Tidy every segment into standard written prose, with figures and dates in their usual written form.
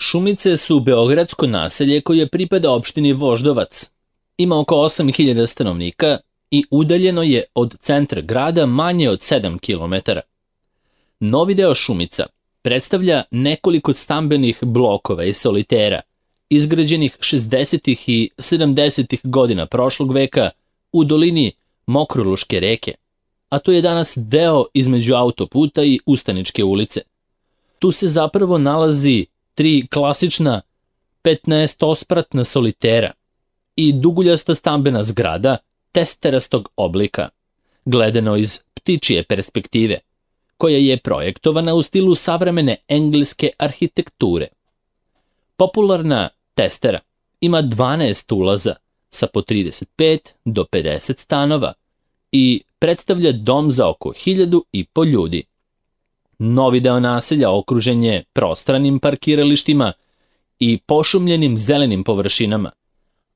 Šumice su beogradsko naselje koje pripada opštini Voždovac. Ima oko 8.000 stanovnika i udaljeno je od centra grada manje od 7 km. Novi deo Šumica predstavlja nekoliko stambenih blokova i solitera, izgrađenih 60. i 70. godina prošlog veka u dolini Mokroluške reke, a to je danas deo između autoputa i Ustaničke ulice. Tu se zapravo nalazi 3 klasična 15-spratna solitera i duguljasta stambena zgrada testerastog oblika, gledano iz ptičije perspektive, koja je projektovana u stilu savremene engleske arhitekture. Popularna testera ima 12 ulaza sa po 35 do 50 stanova i predstavlja dom za oko 1.500 ljudi. Novi deo naselja okružen je prostranim parkiralištima i pošumljenim zelenim površinama,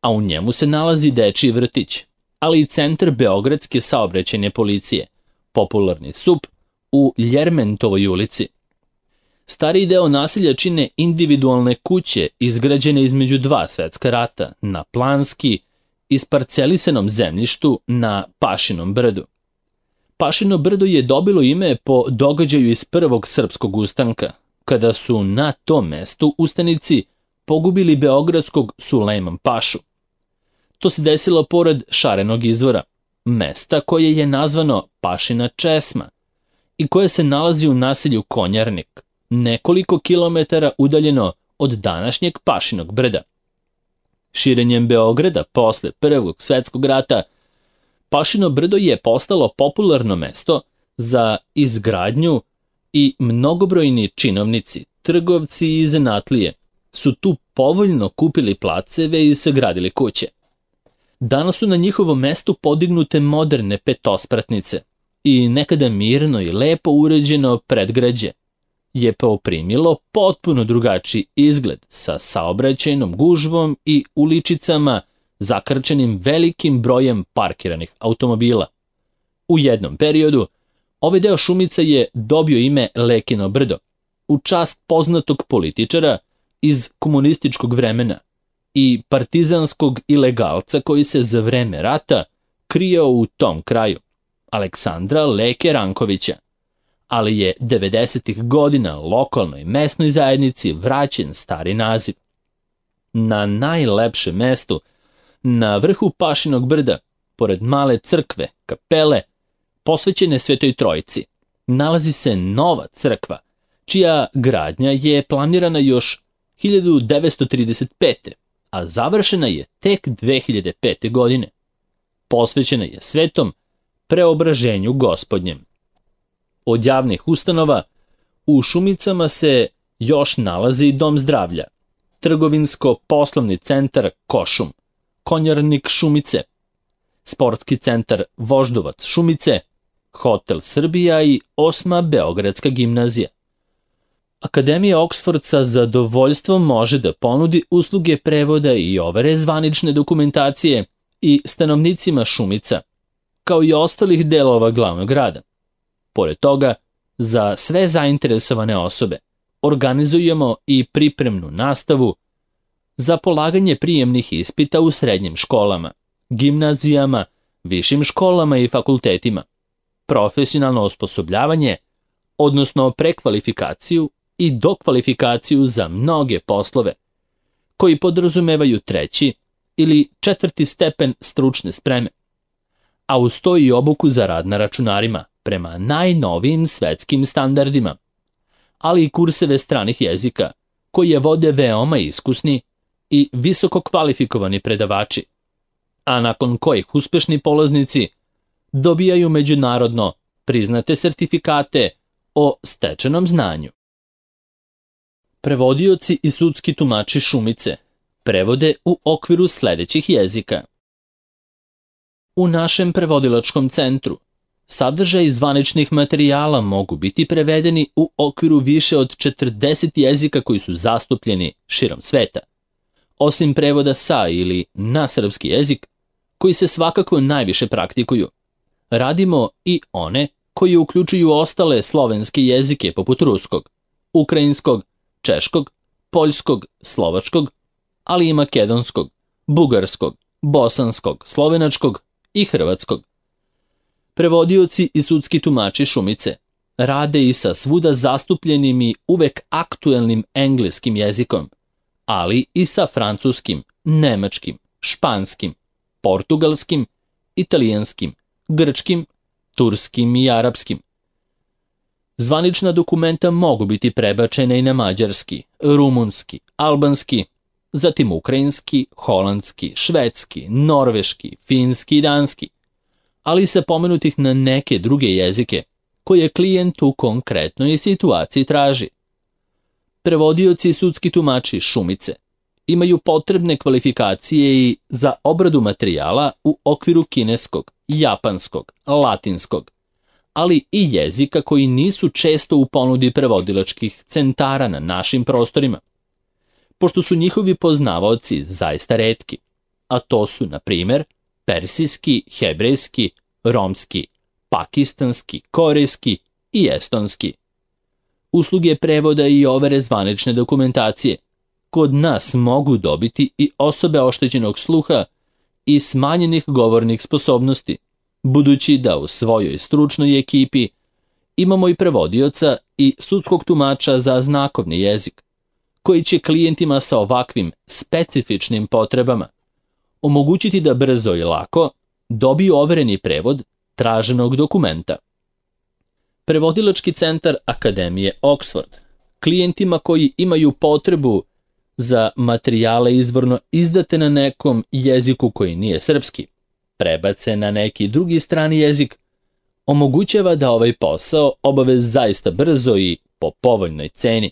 a u njemu se nalazi dečiji vrtić, ali i centar Beogradske saobraćajne policije, popularni SUP u Ljermentovoj ulici. Stariji deo naselja čine individualne kuće izgrađene između 2 svetska rata na planski isparcelisanom zemljištu na Pašinom brdu. Pašino brdo je dobilo ime po događaju iz Prvog srpskog ustanka, kada su na tom mestu ustanici pogubili beogradskog Sulejman Pašu. To se desilo pored Šarenog izvora, mesta koje je nazvano Pašina česma i koje se nalazi u naselju Konjarnik, nekoliko kilometara udaljeno od današnjeg Pašinog brda. Širenjem Beograda posle Prvog svetskog rata, Pašino brdo je postalo popularno mesto za izgradnju i mnogobrojni činovnici, trgovci i zanatlije su tu povoljno kupili placeve i sagradili kuće. Danas su na njihovom mestu podignute moderne petospratnice i nekada mirno i lepo uređeno predgrađe je poprimilo potpuno drugačiji izgled sa saobraćajnom gužvom i uličicama zakrčenim velikim brojem parkiranih automobila. U jednom periodu ovaj deo Šumica je dobio ime Lekino brdo, u čast poznatog političara iz komunističkog vremena i partizanskog ilegalca koji se za vreme rata krio u tom kraju, Aleksandra Leke Rankovića, ali je 90. godina lokalnoj mesnoj zajednici vraćen stari naziv. Na najlepšem mestu, na vrhu Pašinog brda, pored male crkve, kapele, posvećene Svetoj Trojici, nalazi se nova crkva, čija gradnja je planirana još 1935. a završena je tek 2005. godine. Posvećena je Svetom Preobraženju Gospodnjem. Od javnih ustanova u Šumicama se još nalazi Dom zdravlja, trgovinsko-poslovni centar Košum, Konjarnik Šumice, sportski centar Voždovac Šumice, Hotel Srbija i 8. Beogradska gimnazija. Akademija Oksford sa zadovoljstvom može da ponudi usluge prevoda i overe zvanične dokumentacije i stanovnicima Šumica, kao i ostalih delova glavnog grada. Pored toga, za sve zainteresovane osobe organizujemo i pripremnu nastavu za polaganje prijemnih ispita u srednjim školama, gimnazijama, višim školama i fakultetima, profesionalno osposobljavanje, odnosno prekvalifikaciju i dokvalifikaciju za mnoge poslove, koji podrazumevaju 3. ili 4. stepen stručne spreme, a uz to i obuku za rad na računarima prema najnovijim svetskim standardima, ali i kurseve stranih jezika, koje vode veoma iskusni i visoko kvalifikovani predavači, a nakon kojih uspešni polaznici dobijaju međunarodno priznate sertifikate o stečenom znanju. Prevodioci i sudski tumači Šumice prevode u okviru sledećih jezika. U našem prevodilačkom centru sadržaj zvaničnih materijala mogu biti prevedeni u okviru više od 40 jezika koji su zastupljeni širom sveta. Osim prevoda sa ili na srpski jezik, koji se svakako najviše praktikuju, radimo i one koji uključuju ostale slovenske jezike poput ruskog, ukrajinskog, češkog, poljskog, slovačkog, ali i makedonskog, bugarskog, bosanskog, slovenačkog i hrvatskog. Prevodioci i sudski tumači Šumice rade i sa svuda zastupljenim i uvek aktuelnim engleskim jezikom, ali i sa francuskim, nemačkim, španskim, portugalskim, italijanskim, grčkim, turskim i arapskim. Zvanična dokumenta mogu biti prebačena i na mađarski, rumunski, albanski, zatim ukrajinski, holandski, švedski, norveški, finski i danski, ali i sa pomenutih na neke druge jezike koje klijent u konkretnoj situaciji traži. Prevodioci i sudski tumači Šumice imaju potrebne kvalifikacije i za obradu materijala u okviru kineskog, japanskog, latinskog, ali i jezika koji nisu često u ponudi prevodilačkih centara na našim prostorima, pošto su njihovi poznavaoci zaista retki, a to su, na primer, persijski, hebrejski, romski, pakistanski, korejski i estonski. Usluge prevoda i overe zvanične dokumentacije kod nas mogu dobiti i osobe oštećenog sluha i smanjenih govornih sposobnosti, budući da u svojoj stručnoj ekipi imamo i prevodioca i sudskog tumača za znakovni jezik, koji će klijentima sa ovakvim specifičnim potrebama omogućiti da brzo i lako dobiju overeni prevod traženog dokumenta. Prevodilački centar Akademije Oxford klijentima koji imaju potrebu za materijale izvorno izdate na nekom jeziku koji nije srpski, prebace na neki drugi strani jezik, omogućava da ovaj posao obave zaista brzo i po povoljnoj ceni.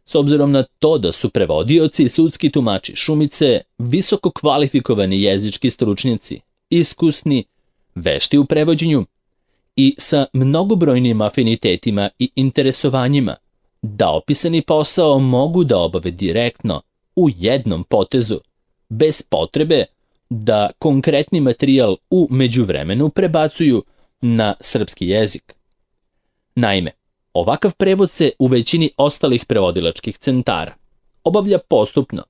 S obzirom na to da su prevodioci i sudski tumači Šumice visoko kvalifikovani jezički stručnjaci, iskusni, vešti u prevođenju i sa mnogobrojnim afinitetima i interesovanjima, da opisani posao mogu da obave direktno, u jednom potezu, bez potrebe da konkretni materijal u međuvremenu prebacuju na srpski jezik. Naime, ovakav prevod se u većini ostalih prevodilačkih centara obavlja postupno,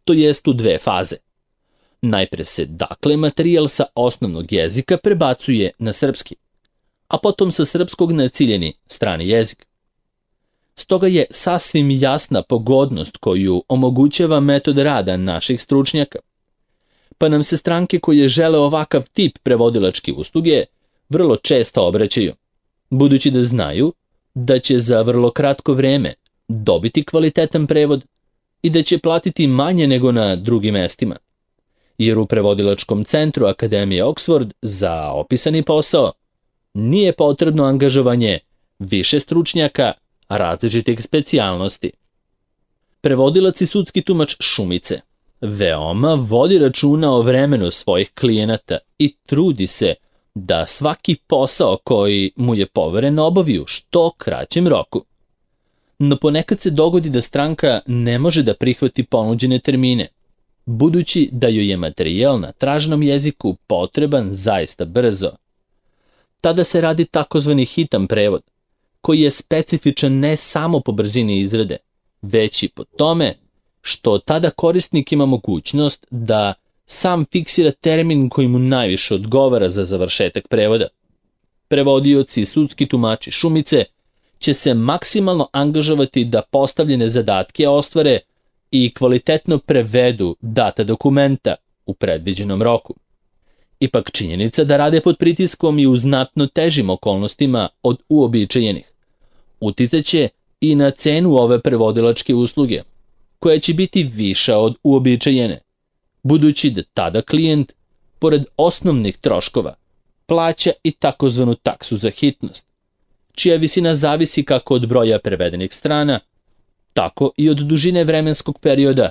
to jest u dve faze. Najpre se dakle materijal sa osnovnog jezika prebacuje na srpski, a potom sa srpskog na ciljeni strani jezik. Stoga je sasvim jasna pogodnost koju omogućava metod rada naših stručnjaka, pa nam se stranke koje žele ovakav tip prevodilačke usluge vrlo često obraćaju, budući da znaju da će za vrlo kratko vreme dobiti kvalitetan prevod i da će platiti manje nego na drugim mestima, jer u prevodilačkom centru Akademije Oxford za opisani posao nije potrebno angažovanje više stručnjaka različitih specijalnosti. Prevodilac i sudski tumač Šumice veoma vodi računa o vremenu svojih klijenata i trudi se da svaki posao koji mu je poveren obavi u što kraćem roku. No ponekad se dogodi da stranka ne može da prihvati ponuđene termine, budući da joj je materijal na traženom jeziku potreban zaista brzo. Tada se radi takozvani hitan prevod, koji je specifičan ne samo po brzini izrade, već i po tome što tada korisnik ima mogućnost da sam fiksira termin koji mu najviše odgovara za završetak prevoda. Prevodioci i sudski tumači Šumice će se maksimalno angažovati da postavljene zadatke ostvare i kvalitetno prevedu data dokumenta u predviđenom roku. Ipak činjenica da rade pod pritiskom i u znatno težim okolnostima od uobičajenih uticaće i na cenu ove prevodilačke usluge, koja će biti viša od uobičajene, budući da tada klijent, pored osnovnih troškova, plaća i takozvanu taksu za hitnost, čija visina zavisi kako od broja prevedenih strana, tako i od dužine vremenskog perioda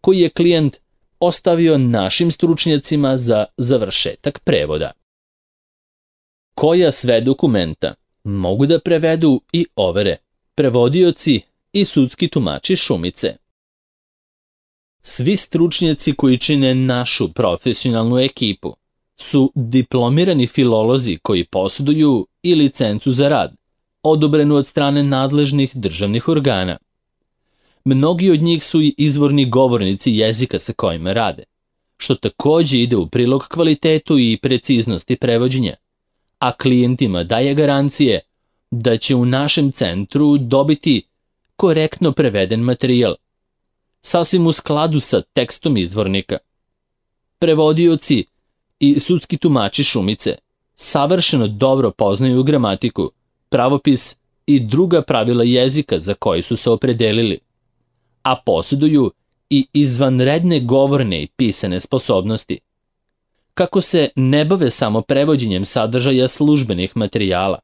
koji je klijent ostavio našim stručnjacima za završetak prevoda. Koja sve dokumenta mogu da prevedu i overe prevodioci i sudski tumači Šumice? Svi stručnjaci koji čine našu profesionalnu ekipu su diplomirani filolozi koji posjeduju i licencu za rad, odobrenu od strane nadležnih državnih organa. Mnogi od njih su i izvorni govornici jezika sa kojima rade, što takođe ide u prilog kvalitetu i preciznosti prevođenja, a klijentima daje garancije da će u našem centru dobiti korektno preveden materijal, sasvim u skladu sa tekstom izvornika. Prevodioci i sudski tumači Šumice savršeno dobro poznaju gramatiku, pravopis i druga pravila jezika za koje su se opredelili, a posjeduju i izvanredne govorne i pisane sposobnosti. Kako se ne bave samo prevođenjem sadržaja službenih materijala,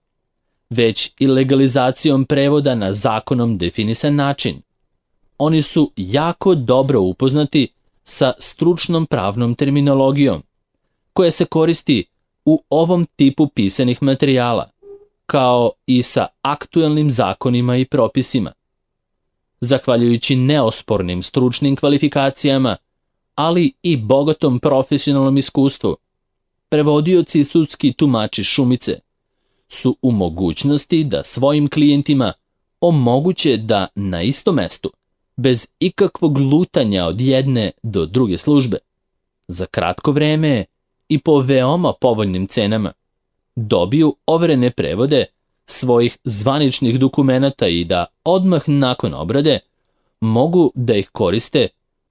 već i legalizacijom prevoda na zakonom definisan način, oni su jako dobro upoznati sa stručnom pravnom terminologijom, koja se koristi u ovom tipu pisanih materijala, kao i sa aktuelnim zakonima i propisima. Zahvaljujući neospornim stručnim kvalifikacijama, ali i bogatom profesionalnom iskustvu, prevodioci i sudski tumači Šumice su u mogućnosti da svojim klijentima omoguće da na istom mestu, bez ikakvog lutanja od jedne do druge službe, za kratko vreme i po veoma povoljnim cenama, dobiju overene prevode svojih zvaničnih dokumenata i da odmah nakon obrade mogu da ih koriste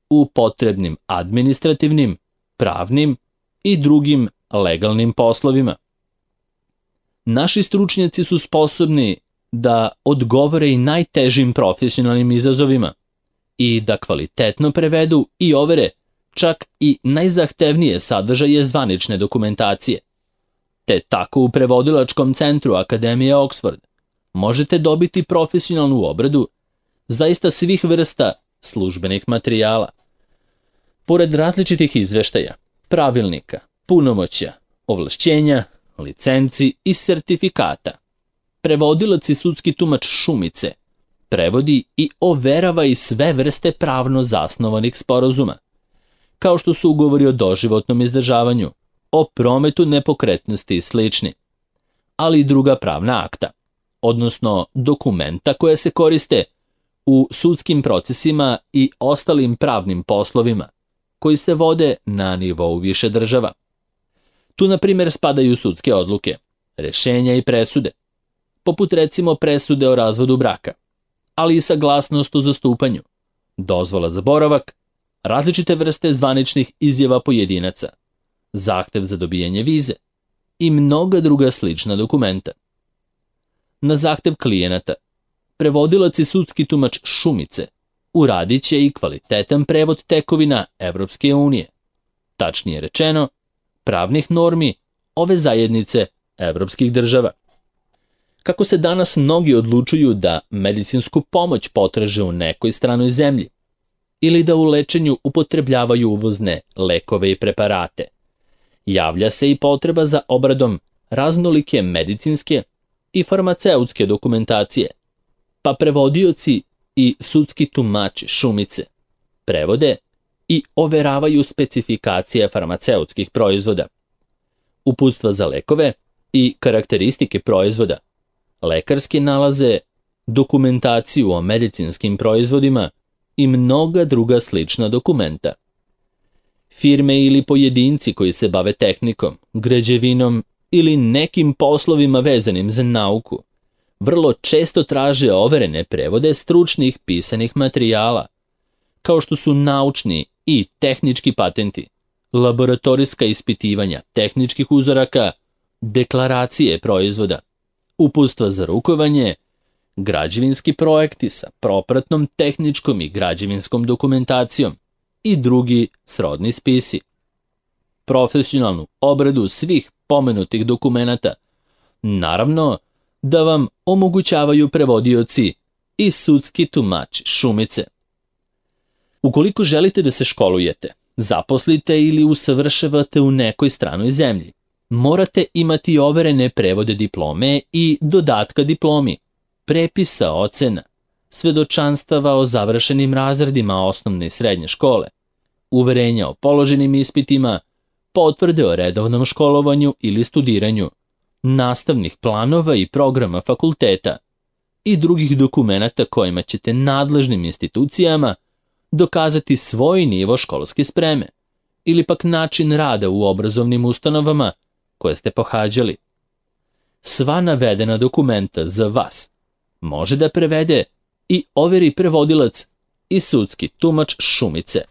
u potrebnim administrativnim, pravnim i drugim legalnim poslovima. Naši stručnjaci su sposobni da odgovore i najtežim profesionalnim izazovima i da kvalitetno prevedu i overe čak i najzahtevnije sadržaje zvanične dokumentacije. Te tako u prevodilačkom centru Akademije Oxford možete dobiti profesionalnu obradu zaista svih vrsta službenih materijala. Pored različitih izveštaja, pravilnika, punomoćja, ovlašćenja, licenci i sertifikata, prevodilac i sudski tumač Šumice prevodi i overava i sve vrste pravno zasnovanih sporazuma, kao što su ugovori o doživotnom izdržavanju, o prometu nepokretnosti i slični, ali i druga pravna akta, odnosno dokumenta koja se koriste u sudskim procesima i ostalim pravnim poslovima koji se vode na nivou više država. Tu, na primjer, spadaju sudske odluke, rešenja i presude, poput recimo presude o razvodu braka, ali i saglasnost o zastupanju, dozvola za boravak, različite vrste zvaničnih izjava pojedinaca, zahtev za dobijanje vize i mnoga druga slična dokumenta. Na zahtev klijenata, prevodilac i sudski tumač Šumice uradit će i kvalitetan prevod tekovina Evropske unije, tačnije rečeno, pravnih normi ove zajednice evropskih država. Kako se danas mnogi odlučuju da medicinsku pomoć potraže u nekoj stranoj zemlji ili da u lečenju upotrebljavaju uvozne lekove i preparate, javlja se i potreba za obradom raznolike medicinske i farmaceutske dokumentacije, pa prevodioci i sudski tumači Šumice prevode i overavaju specifikacije farmaceutskih proizvoda, uputstva za lekove i karakteristike proizvoda, lekarske nalaze, dokumentaciju o medicinskim proizvodima i mnoga druga slična dokumenta. Firme ili pojedinci koji se bave tehnikom, građevinom ili nekim poslovima vezanim za nauku vrlo često traže overene prevode stručnih pisanih materijala, kao što su naučni i tehnički patenti, laboratorijska ispitivanja tehničkih uzoraka, deklaracije proizvoda, uputstva za rukovanje, građevinski projekti sa propratnom tehničkom i građevinskom dokumentacijom i drugi srodni spisi. Profesionalnu obradu svih pomenutih dokumenata, naravno, da vam omogućavaju prevodioci i sudski tumači Šumice. Ukoliko želite da se školujete, zaposlite ili usavršavate u nekoj stranoj zemlji, morate imati overene prevode diplome i dodatka diplomi, prepisa ocena, svedočanstava o završenim razredima osnovne i srednje škole, uverenja o položenim ispitima, potvrde o redovnom školovanju ili studiranju, nastavnih planova i programa fakulteta, i drugih dokumenata kojima ćete nadležnim institucijama dokazati svoj nivo školske spreme ili pak način rada u obrazovnim ustanovama koje ste pohađali. Sva navedena dokumenta za vas može da prevede i overi prevodilac i sudski tumač Šumice.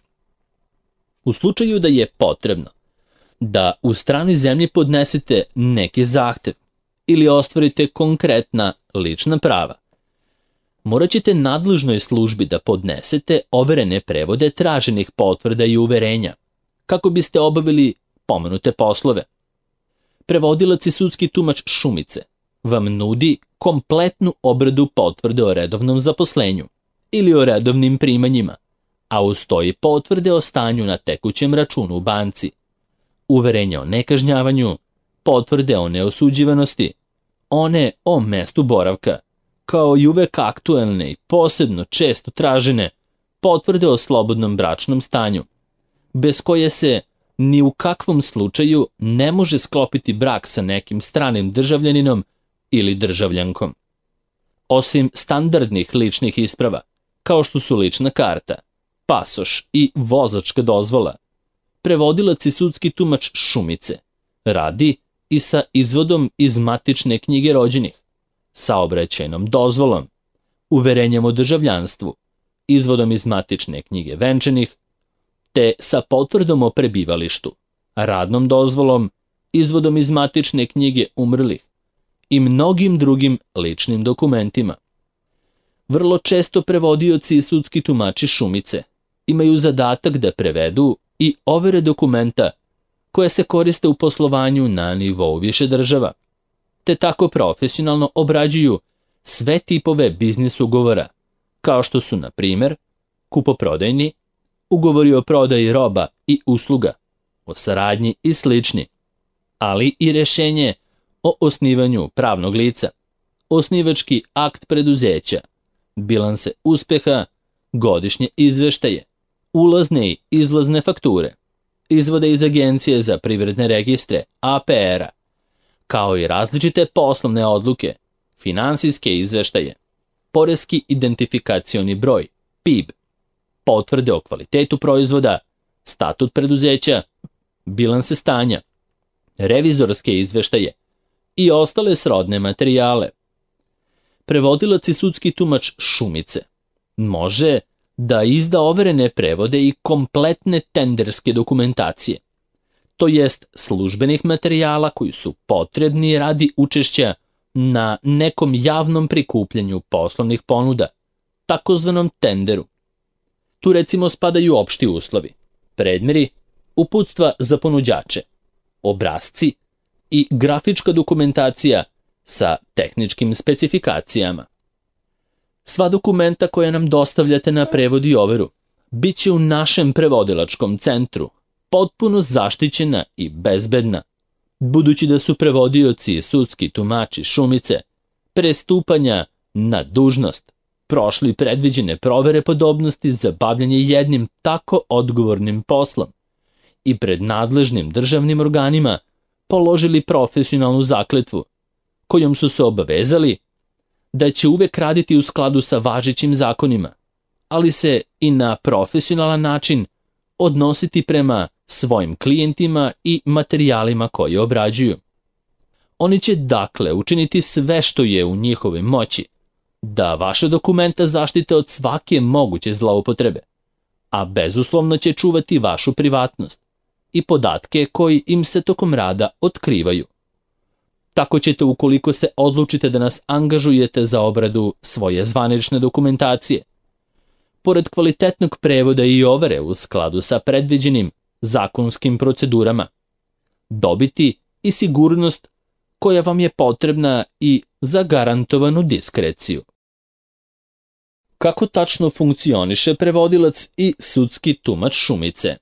U slučaju da je potrebno da u stranoj zemlji podnesete neki zahtev ili ostvarite konkretna lična prava, morat ćete nadležnoj službi da podnesete overene prevode traženih potvrda i uverenja, kako biste obavili pomenute poslove. Prevodilac i sudski tumač Šumice vam nudi kompletnu obradu potvrde o redovnom zaposlenju ili o redovnim primanjima, a uz to i potvrde o stanju na tekućem računu u banci, uverenja o nekažnjavanju, potvrde o neosuđivanosti, one o mestu boravka, kao i uvek aktuelne i posebno često tražene potvrde o slobodnom bračnom stanju, bez koje se ni u kakvom slučaju ne može sklopiti brak sa nekim stranim državljaninom ili državljankom. Osim standardnih ličnih isprava, kao što su lična karta, pasoš i vozačka dozvola, prevodilac i sudski tumač Šumice radi i sa izvodom iz matične knjige rođenih, saobraćajnom dozvolom, uverenjem o državljanstvu, izvodom iz matične knjige venčanih, te sa potvrdom o prebivalištu, radnom dozvolom, izvodom iz matične knjige umrlih i mnogim drugim ličnim dokumentima. Vrlo često prevodioci i sudski tumači Šumice imaju zadatak da prevedu i overe dokumenta koje se koriste u poslovanju na nivou više država, te tako profesionalno obrađuju sve tipove biznis ugovora, kao što su, na primjer, kupoprodajni, ugovori o prodaji roba i usluga, o saradnji i slični, ali i rešenje o osnivanju pravnog lica, osnivački akt preduzeća, bilanse uspeha, godišnje izveštaje, ulazne i izlazne fakture, izvode iz Agencije za privredne registre, APR-a, kao i različite poslovne odluke, finansijske izveštaje, poreski identifikacioni broj, PIB, potvrde o kvalitetu proizvoda, statut preduzeća, bilanse stanja, revizorske izveštaje i ostale srodne materijale. Prevodilac i sudski tumač Šumice može da izda overene prevode i kompletne tenderske dokumentacije, to jest službenih materijala koji su potrebni radi učešća na nekom javnom prikupljanju poslovnih ponuda, takozvanom tenderu. Tu recimo spadaju opšti uslovi, predmeri, uputstva za ponuđače, obrasci i grafička dokumentacija sa tehničkim specifikacijama. Sva dokumenta koja nam dostavljate na prevod i overu bit će u našem prevodilačkom centru potpuno zaštićena i bezbedna, budući da su prevodioci i sudski tumači Šumice pre stupanja na dužnost prošli predviđene provere podobnosti za bavljanje jednim tako odgovornim poslom i pred nadležnim državnim organima položili profesionalnu zakletvu, kojom su se obavezali da će uvek raditi u skladu sa važećim zakonima, ali se i na profesionalan način odnositi prema svojim klijentima i materijalima koje obrađuju. Oni će dakle učiniti sve što je u njihovoj moći da vaše dokumenta zaštite od svake moguće zloupotrebe, a bezuslovno će čuvati vašu privatnost i podatke koji im se tokom rada otkrivaju. Tako ćete, ukoliko se odlučite da nas angažujete za obradu svoje zvanične dokumentacije, pored kvalitetnog prevoda i overe u skladu sa predviđenim zakonskim procedurama, dobiti i sigurnost koja vam je potrebna i zagarantovanu diskreciju. Kako tačno funkcioniše prevodilac i sudski tumač Šumice?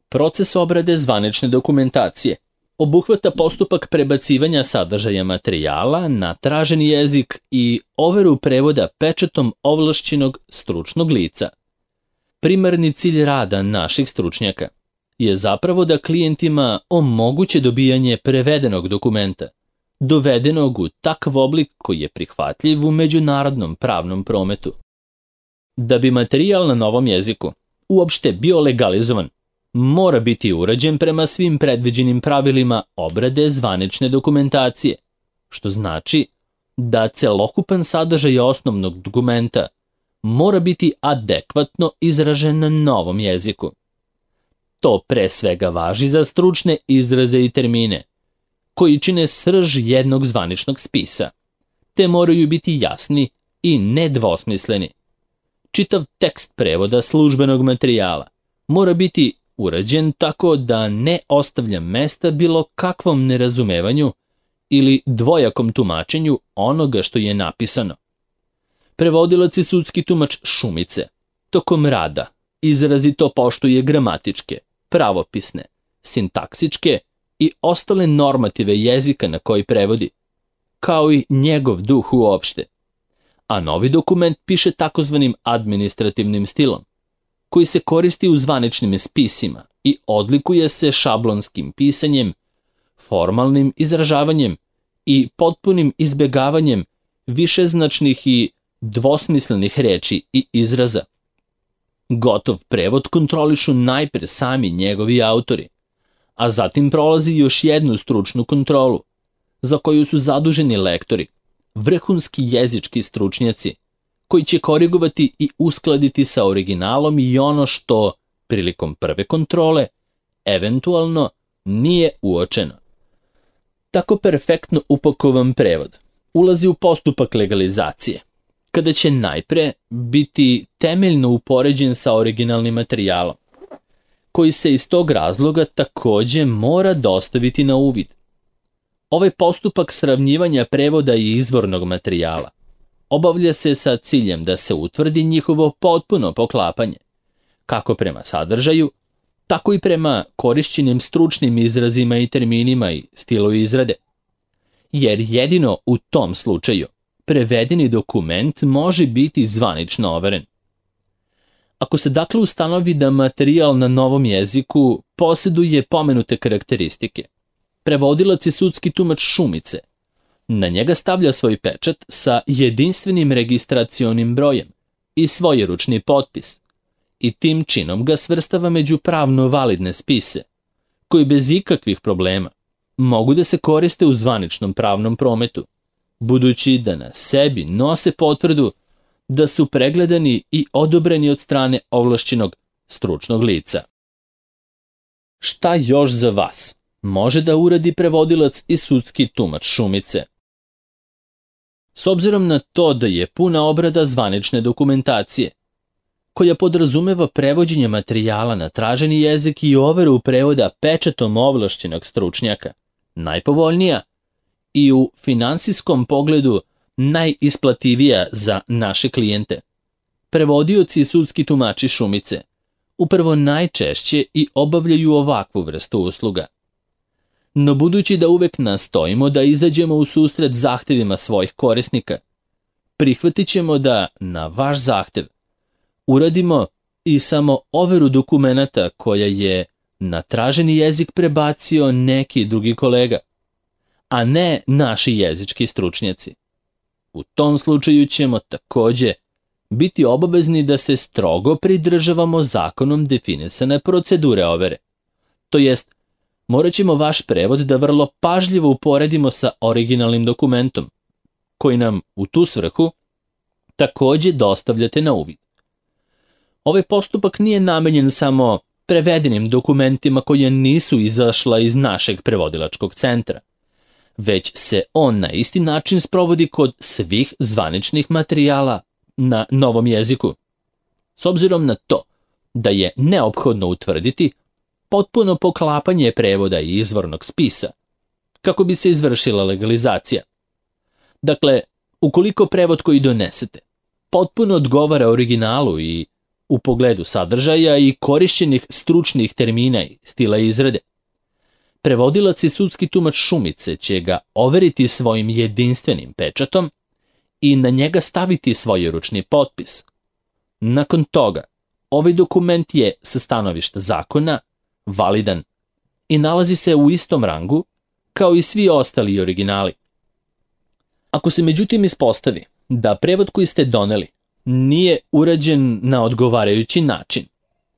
Proces obrade zvanične dokumentacije obuhvata postupak prebacivanja sadržaja materijala na traženi jezik i overu prevoda pečatom ovlašćenog stručnog lica. Primarni cilj rada naših stručnjaka je zapravo da klijentima omoguće dobijanje prevedenog dokumenta, dovedenog u takav oblik koji je prihvatljiv u međunarodnom pravnom prometu. Da bi materijal na novom jeziku uopšte bio legalizovan, mora biti urađen prema svim predviđenim pravilima obrade zvanične dokumentacije, što znači da celokupan sadržaj osnovnog dokumenta mora biti adekvatno izražen na novom jeziku. To pre svega važi za stručne izraze i termine, koji čine srž jednog zvaničnog spisa, te moraju biti jasni i nedvosmisleni. Čitav tekst prevoda službenog materijala mora biti urađen tako da ne ostavlja mesta bilo kakvom nerazumevanju ili dvojakom tumačenju onoga što je napisano. Prevodilac i sudski tumač Šumice tokom rada izrazito poštuje gramatičke, pravopisne, sintaksičke i ostale normative jezika na koji prevodi, kao i njegov duh uopšte. A novi dokument piše takozvanim administrativnim stilom, koji se koristi u zvaničnim spisima i odlikuje se šablonskim pisanjem, formalnim izražavanjem i potpunim izbegavanjem višeznačnih i dvosmislenih reči i izraza. Gotov prevod kontrolišu najpre sami njegovi autori, a zatim prolazi još jednu stručnu kontrolu, za koju su zaduženi lektori, vrhunski jezički stručnjaci, koji će korigovati i uskladiti sa originalom i ono što, prilikom prve kontrole, eventualno nije uočeno. Tako perfektno upakovan prevod ulazi u postupak legalizacije, kada će najpre biti temeljno upoređen sa originalnim materijalom, koji se iz tog razloga takođe mora dostaviti na uvid. Ovaj postupak sravnjivanja prevoda i izvornog materijala obavlja se sa ciljem da se utvrdi njihovo potpuno poklapanje, kako prema sadržaju, tako i prema korišćenim stručnim izrazima i terminima i stilu izrade. Jer jedino u tom slučaju prevedeni dokument može biti zvanično overen. Ako se dakle ustanovi da materijal na novom jeziku posjeduje pomenute karakteristike, prevodilac i sudski tumač Šumice na njega stavlja svoj pečat sa jedinstvenim registracionim brojem i svojeručni potpis i tim činom ga svrstava među pravno validne spise, koji bez ikakvih problema mogu da se koriste u zvaničnom pravnom prometu, budući da na sebi nose potvrdu da su pregledani i odobreni od strane ovlašćenog stručnog lica. Šta još za vas može da uradi prevodilac i sudski tumač Šumice? S obzirom na to da je puna obrada zvanične dokumentacije, koja podrazumeva prevođenje materijala na traženi jezik i overu prevoda pečatom ovlašćenog stručnjaka, najpovoljnija i u finansijskom pogledu najisplativija za naše klijente, prevodioci i sudski tumači Šumice upravo najčešće i obavljaju ovakvu vrstu usluga. No budući da uvek nastojimo da izađemo u susret zahtevima svojih korisnika, prihvatit ćemo da na vaš zahtev uradimo i samo overu dokumenata koja je na traženi jezik prebacio neki drugi kolega, a ne naši jezički stručnjaci. U tom slučaju ćemo takođe biti obavezni da se strogo pridržavamo zakonom definisane procedure overe. To jest, morat ćemo vaš prevod da vrlo pažljivo uporedimo sa originalnim dokumentom, koji nam u tu svrhu takođe dostavljate na uvid. Ovaj postupak nije namenjen samo prevedenim dokumentima koje nisu izašla iz našeg prevodilačkog centra, već se on na isti način sprovodi kod svih zvaničnih materijala na novom jeziku. S obzirom na to da je neophodno utvrditi potpuno poklapanje prevoda i izvornog spisa, kako bi se izvršila legalizacija. Dakle, ukoliko prevod koji donesete potpuno odgovara originalu i u pogledu sadržaja i korišćenih stručnih termina i stila izrade, prevodilac i sudski tumač Šumice će ga overiti svojim jedinstvenim pečatom i na njega staviti svojeručni potpis. Nakon toga, ovaj dokument je sa stanovišta zakona validan i nalazi se u istom rangu kao i svi ostali originali, Ako se međutim ispostavi da prevod koji ste doneli nije urađen na odgovarajući način,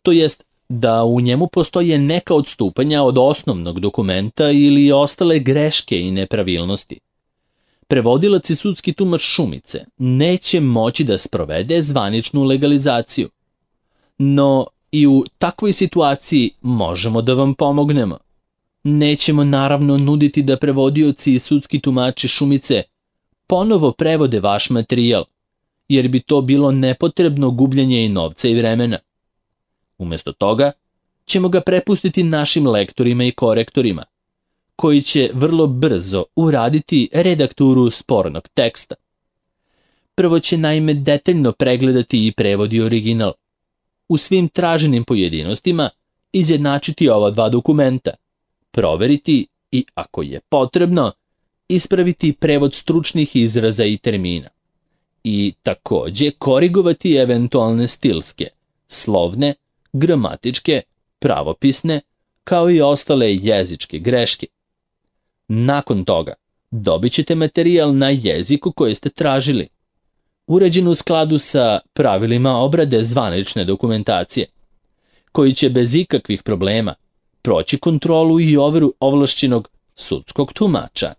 to jest da u njemu postoje neka odstupanja od osnovnog dokumenta ili ostale greške i nepravilnosti, prevodilac i sudski tumač Šumice neće moći da sprovede zvaničnu legalizaciju. No i u takvoj situaciji možemo da vam pomognemo. Nećemo naravno nuditi da prevodioci i sudski tumači Šumice ponovo prevode vaš materijal, jer bi to bilo nepotrebno gubljenje i novca i vremena. Umjesto toga ćemo ga prepustiti našim lektorima i korektorima, koji će vrlo brzo uraditi redakturu spornog teksta. Prvo će naime detaljno pregledati i prevodi original, u svim traženim pojedinostima izjednačiti ova dva dokumenta, proveriti i, ako je potrebno, ispraviti prevod stručnih izraza i termina i takođe korigovati eventualne stilske, slovne, gramatičke, pravopisne, kao i ostale jezičke greške. Nakon toga dobit ćete materijal na jeziku koji ste tražili, uređen u skladu sa pravilima obrade zvanične dokumentacije, koji će bez ikakvih problema proći kontrolu i overu ovlašćenog sudskog tumača.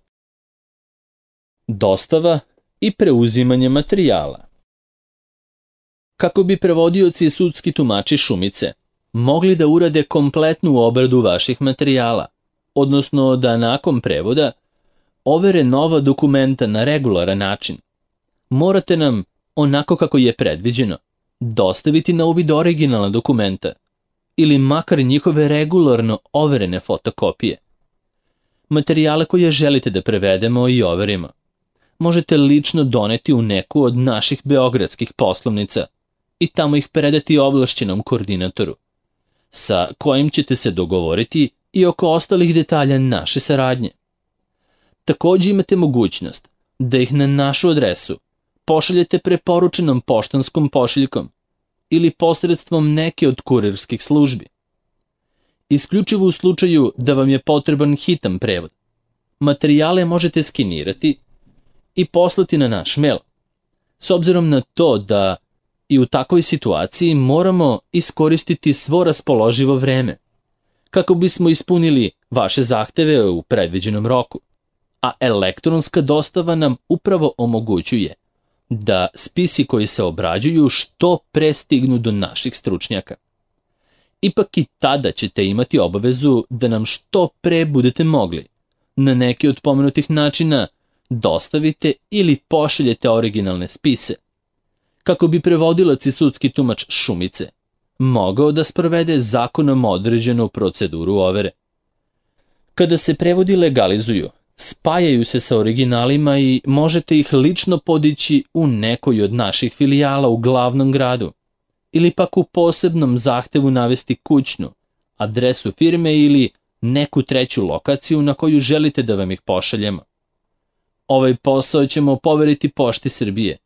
Dostava i preuzimanje materijala. Kako bi prevodioci i sudski tumači Šumice mogli da urade kompletnu obradu vaših materijala, odnosno da nakon prevoda overe nova dokumenta na regularan način, morate nam, onako kako je predviđeno, dostaviti na uvid originalna dokumenta ili makar njihove regularno overene fotokopije. Materijale koje želite da prevedemo i overimo možete lično doneti u neku od naših beogradskih poslovnica i tamo ih predati ovlašćenom koordinatoru, sa kojim ćete se dogovoriti i oko ostalih detalja naše saradnje. Takođe imate mogućnost da ih na našu adresu pošaljete preporučenom poštanskom pošiljkom ili posredstvom neke od kurirskih službi. Isključivo u slučaju da vam je potreban hitan prevod, materijale možete skenirati i poslati na naš mail, s obzirom na to da i u takvoj situaciji moramo iskoristiti svo raspoloživo vreme, kako bismo ispunili vaše zahteve u predviđenom roku, a elektronska dostava nam upravo omogućuje da spisi koji se obrađuju što pre stignu do naših stručnjaka. Ipak i tada ćete imati obavezu da nam što pre budete mogli, na neki od pomenutih načina, dostavite ili pošaljete originalne spise, kako bi prevodilac i sudski tumač Šumice mogao da sprovede zakonom određenu proceduru overe. Kada se prevodi legalizuju, spajaju se sa originalima i možete ih lično podići u nekoj od naših filijala u glavnom gradu, ili pak u posebnom zahtevu navesti kućnu, adresu firme ili neku treću lokaciju na koju želite da vam ih pošaljemo. Ovaj posao ćemo poveriti Pošti Srbije,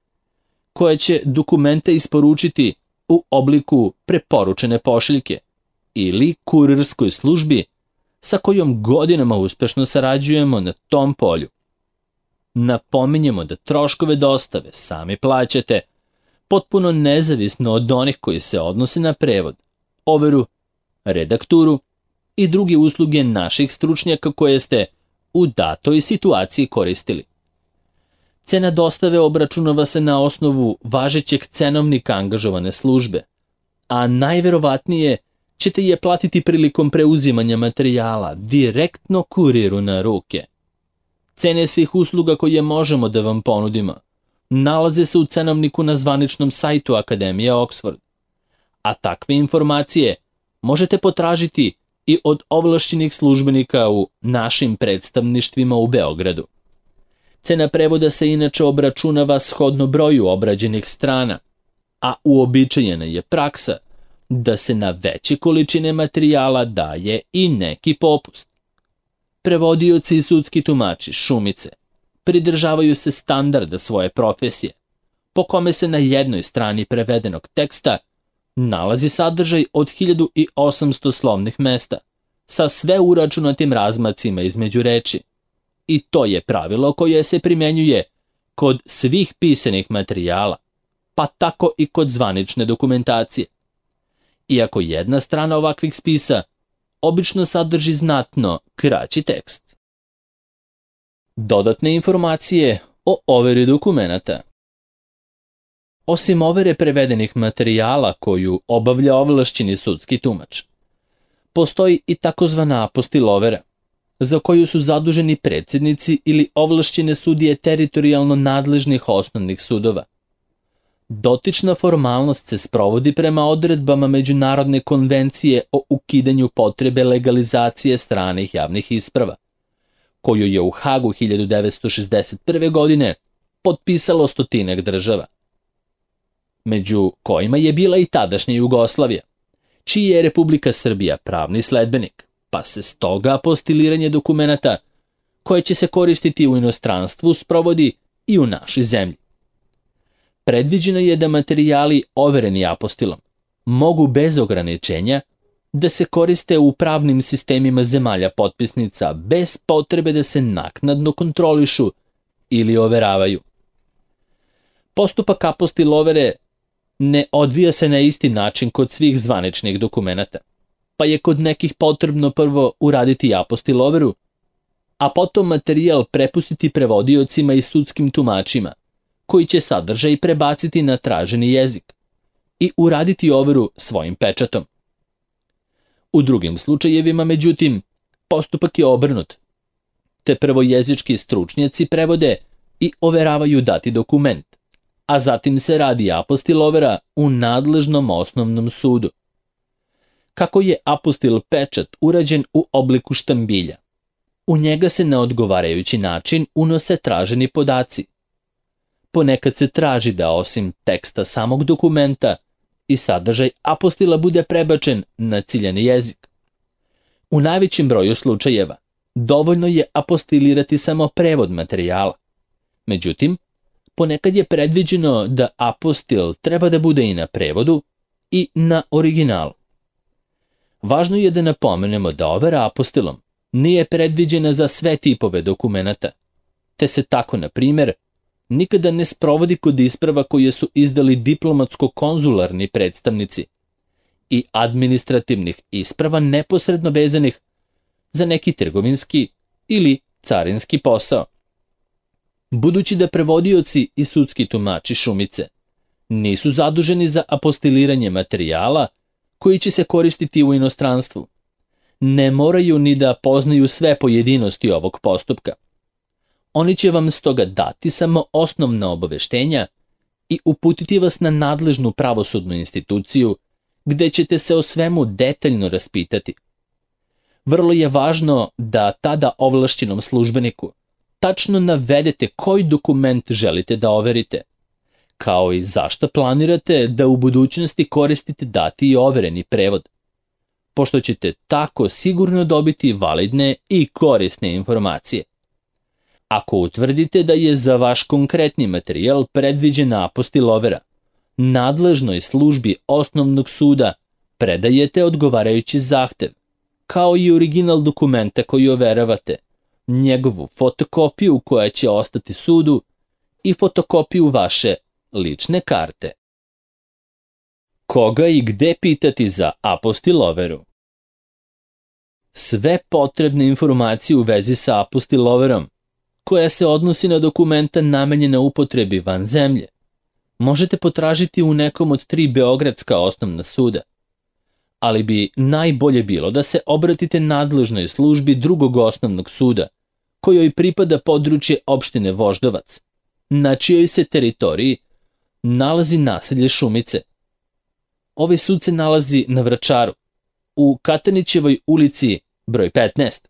koja će dokumente isporučiti u obliku preporučene pošiljke ili kurirskoj službi sa kojom godinama uspešno sarađujemo na tom polju. Napominjemo da troškove dostave sami plaćate, potpuno nezavisno od onih koji se odnose na prevod, overu, redakturu i druge usluge naših stručnjaka koje ste u datoj situaciji koristili. Cena dostave obračunava se na osnovu važećeg cenovnika angažovane službe, a najverovatnije ćete je platiti prilikom preuzimanja materijala direktno kuriru na ruke. Cene svih usluga koje možemo da vam ponudimo nalaze se u cenovniku na zvaničnom sajtu Akademije Oxford, a takve informacije možete potražiti i od ovlašćenih službenika u našim predstavništvima u Beogradu. Cena prevoda se inače obračunava shodno broju obrađenih strana, a uobičajena je praksa da se na veće količine materijala daje i neki popust. Prevodioci i sudski tumači Šumice pridržavaju se standarda svoje profesije, po kome se na jednoj strani prevedenog teksta nalazi sadržaj od 1800 slovnih mesta, sa sve uračunatim razmacima između reči. I to je pravilo koje se primenjuje kod svih pisanih materijala, pa tako i kod zvanične dokumentacije. Iako jedna strana ovakvih spisa obično sadrži znatno kraći tekst. Dodatne informacije o overi dokumenata. Osim overe prevedenih materijala koju obavlja ovlašćeni sudski tumač, postoji i takozvana apostil-overa, za koju su zaduženi predsjednici ili ovlašćene sudije teritorijalno nadležnih osnovnih sudova. Dotična formalnost se sprovodi prema odredbama Međunarodne konvencije o ukidanju potrebe legalizacije stranih javnih isprava, koju je u Hagu 1961. godine potpisalo 100 država, među kojima je bila i tadašnja Jugoslavija, čiji je Republika Srbija pravni sledbenik, pa se stoga apostiliranje dokumenata koje će se koristiti u inostranstvu sprovodi i u našoj zemlji. Predviđeno je da materijali overeni apostilom mogu bez ograničenja da se koriste u pravnim sistemima zemalja potpisnica bez potrebe da se naknadno kontrolišu ili overavaju. Postupak apostil-overe ne odvija se na isti način kod svih zvaničnih dokumenata, pa je kod nekih potrebno prvo uraditi apostil-overu, a potom materijal prepustiti prevodiocima i sudskim tumačima, koji će sadržaj prebaciti na traženi jezik i uraditi overu svojim pečatom. U drugim slučajevima, međutim, postupak je obrnut, te prvo jezički stručnjaci prevode i overavaju dati dokument, a zatim se radi apostil-overa u nadležnom osnovnom sudu. Kako je apostil pečat urađen u obliku štambilja, u njega se na odgovarajući način unose traženi podaci. Ponekad se traži da osim teksta samog dokumenta i sadržaj apostila bude prebačen na ciljani jezik. U najvećem broju slučajeva dovoljno je apostilirati samo prevod materijala. Međutim, ponekad je predviđeno da apostil treba da bude i na prevodu i na originalu. Važno je da napomenemo da overa apostilom nije predviđena za sve tipove dokumenata, te se tako, na primjer, nikada ne sprovodi kod isprava koje su izdali diplomatsko-konzularni predstavnici i administrativnih isprava neposredno vezanih za neki trgovinski ili carinski posao. Budući da prevodioci i sudski tumači Šumice nisu zaduženi za apostiliranje materijala koji će se koristiti u inostranstvu, ne moraju ni da poznaju sve pojedinosti ovog postupka. Oni će vam stoga dati samo osnovna obaveštenja i uputiti vas na nadležnu pravosudnu instituciju gde ćete se o svemu detaljno raspitati. Vrlo je važno da tada ovlašćenom službeniku tačno navedete koji dokument želite da overite, kao i zašto planirate da u budućnosti koristite dati i overeni prevod, pošto ćete tako sigurno dobiti validne i korisne informacije. Ako utvrdite da je za vaš konkretni materijal predviđena apostil-overa, nadležnoj službi osnovnog suda predajete odgovarajući zahtev, kao i original dokumenta koji overavate, njegovu fotokopiju koja će ostati sudu i fotokopiju vaše lične karte. Koga i gde pitati za apostil-overu? Sve potrebne informacije u vezi sa apostil-overom, koja se odnosi na dokumenta namenjena upotrebi van zemlje, možete potražiti u nekom od 3 beogradska osnovna suda, ali bi najbolje bilo da se obratite nadležnoj službi drugog osnovnog suda, kojoj pripada područje opštine Voždovac, na čijoj se teritoriji nalazi naselje Šumice. Ovaj sud se nalazi na Vračaru, u Katanićevoj ulici broj 15,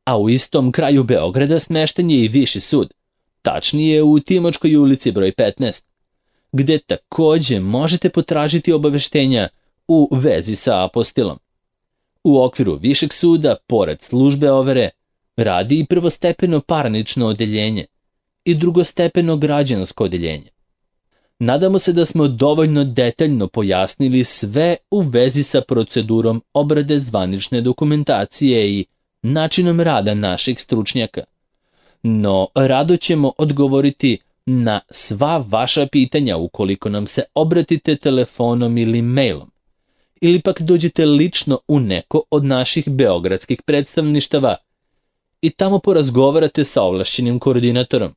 a u istom kraju Beograda smešten je i Viši sud, tačnije u Timočkoj ulici broj 15, gde takođe možete potražiti obaveštenja u vezi sa apostilom. U okviru Višeg suda, pored službe overe, radi i prvostepeno parnično odeljenje i drugostepeno građansko odeljenje. Nadamo se da smo dovoljno detaljno pojasnili sve u vezi sa procedurom obrade zvanične dokumentacije i načinom rada naših stručnjaka, no rado ćemo odgovoriti na sva vaša pitanja ukoliko nam se obratite telefonom ili mailom, ili pak dođete lično u neko od naših beogradskih predstavništava i tamo porazgovarate sa ovlašćenim koordinatorom.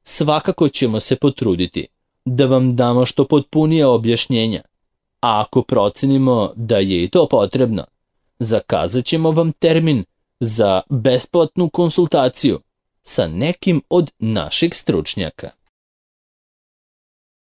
Svakako ćemo se potruditi da vam damo što potpunije objašnjenja, a ako procenimo da je i to potrebno, zakazat ćemo vam termin za besplatnu konsultaciju sa nekim od naših stručnjaka.